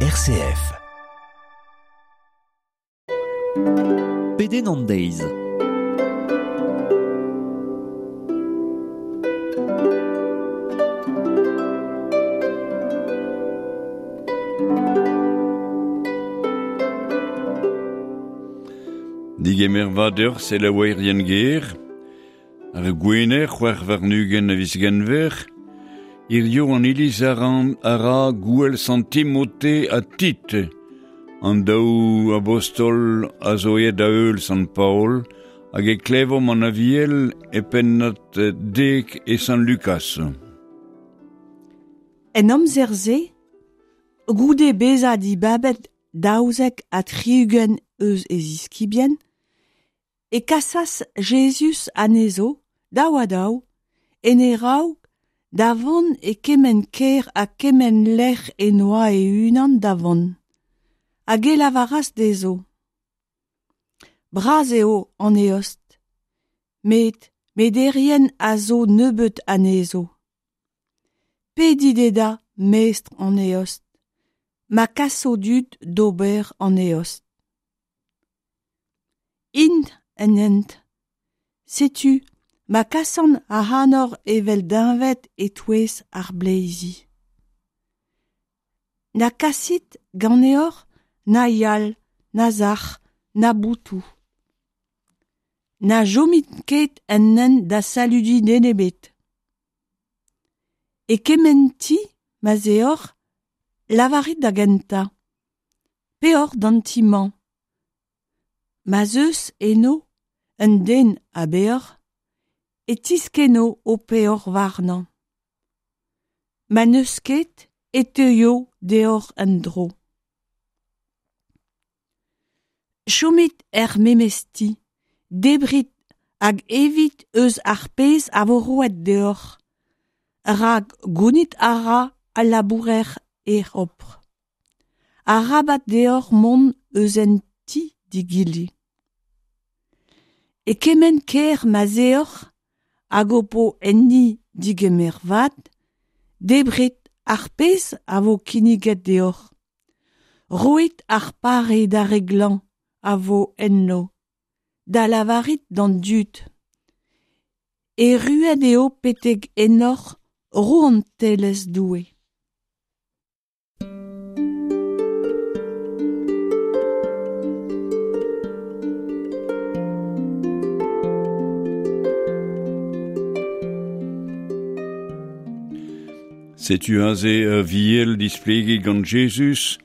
RCF. Pedenn an deiz. Digemer vat deoc'h selaouerien ger, ar gwener 26 a viz Genver, hirio an iliz a ra gouel sant Timote ha Tit, an daou abostol a zo aet da heul sant Paol, hag e klevomp an aviel e pennad 10 e sant Lukas. En amzer-se, goude bezañ dibabet 72 eus e ziskibien, e kasas Jezuz anezho, daou ha daou, en e raok da vont e kement kêr ha kement lec'h e-noa e-unan da vont. Hag e lavaras dezho: Bras eo an eost, met mederien a zo nebeut anezho. Pedit eta mestr an eost, ma kaso dud d'ober an eost. Int en hent, setu ma kasan ac'hanoc'h evel deñved e-touez ar bleizi. Na kasit ganeoc'h na yalc'h, na sac'h, na boutoù. Na chomit ket en hent da saludiñ den ebet. E kement ti ma'z eoc'h, lavarit da gentañ: Peoc'h d'an ti-mañ. Ma'z eus eno un den a beoc'h, e tiskenno ho peoc'h warnañ. Ma n'eus ket e teuio deoc'h en-dro. Chomit er memes ti, debrit hag evit eus ar pezh a vo roet deoc'h, rak gounit a ra al labourer e c'hopr. Arabat deoc'h mont eus un ti d'egile. E kement kêr ma'z eoc'h hag ho po enni digemer vat, debrit ar pezh a vo kinniget deoc'h. Roit ar pare d'ar re glañv a vo enno, da lavarit d'an dud: Erruet eo betek ennoc'h rouantelezh Doue. Setu aze ur viel displeget gant Jezuz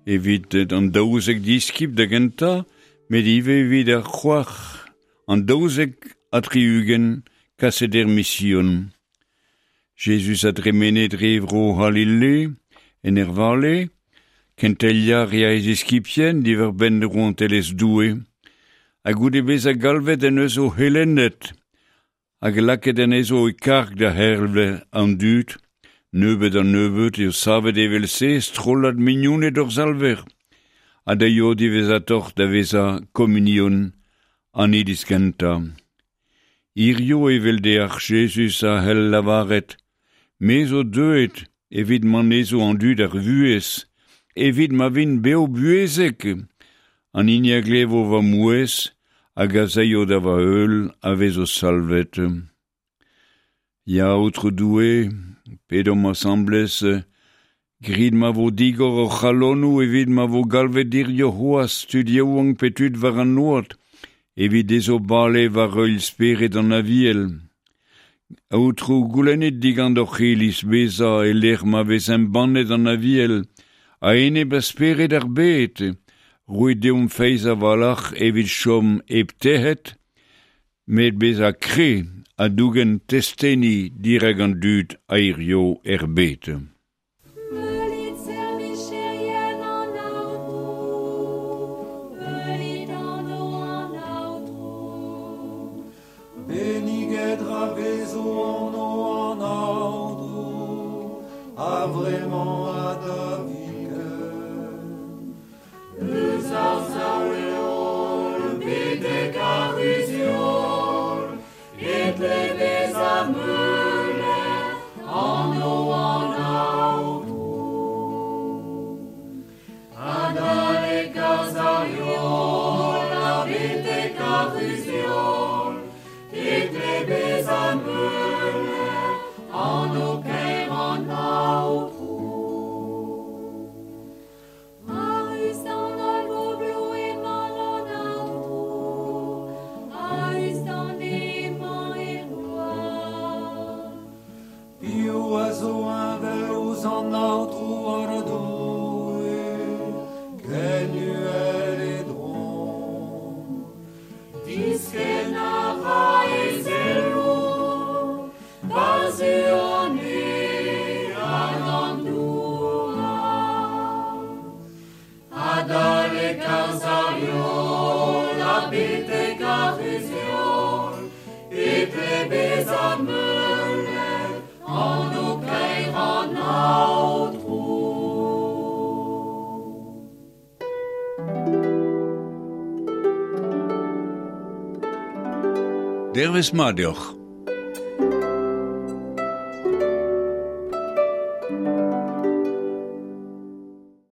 evit an 12 diskibl da gentañ, met ivez evit ar c'hoar an 72 kaset er mision. Jezuz a dremene dre vro C'halile, en er vale, kenteliañ rea e ziskibien diwar-benn rouantelezh Doue, ha goude bezañ galvet en deus o c'helennet hag lakaet anezho e karg da c'hervel an dud. Nebeut an nebeut eo savet evel-se strollad mignoned hor Salver, ha da eo diwezhatoc'h da vezañ komunion an iliz kentañ. Hirio evel deoc'h Jezuz a c'hell lavaret: Me zo deuet evit ma nezo an dud ar vuhez, evit ma vint bev-buhezek. An hini a glevo va mouezh hag a zaio da va heul a vezo salvet. Ya, Aotrou Doue, pedomp asambles, grit ma vo digor hor c'halonoù evit ma vo galvet hirio c'hoazh tud yaouank pe tud war an oad, evit dezho bale war heul spered an Aviel. Aotrou, goulennit digant hoc'h iliz bezañ e-lec'h ma vez embannet an Aviel, a-enep a spered ar bed, roit deomp feiz a-walc'h evit chom hep tec'het, met bezañ kre ha dougen testeni dirak an dud a hirio er bed. Meulit servicherien an Aotrou, meulit anv an Aotrou. Benniget ra vezo anv an Aotrou, a vremañ ha da viken. Eus ar sav-heol betek ar c'huzh-heol, e tle bezañ meulet anv an Aotrou. Aotrou an Doue, ken uhel e dron. Diskenn a ra e zelloù war-zu an neñv hag an douar. Adalek ar sav-heol ha betek ar c'huzh-heol e tle bezañ meulet anv kaer an Aotrou. Dervezh mat deoc'h.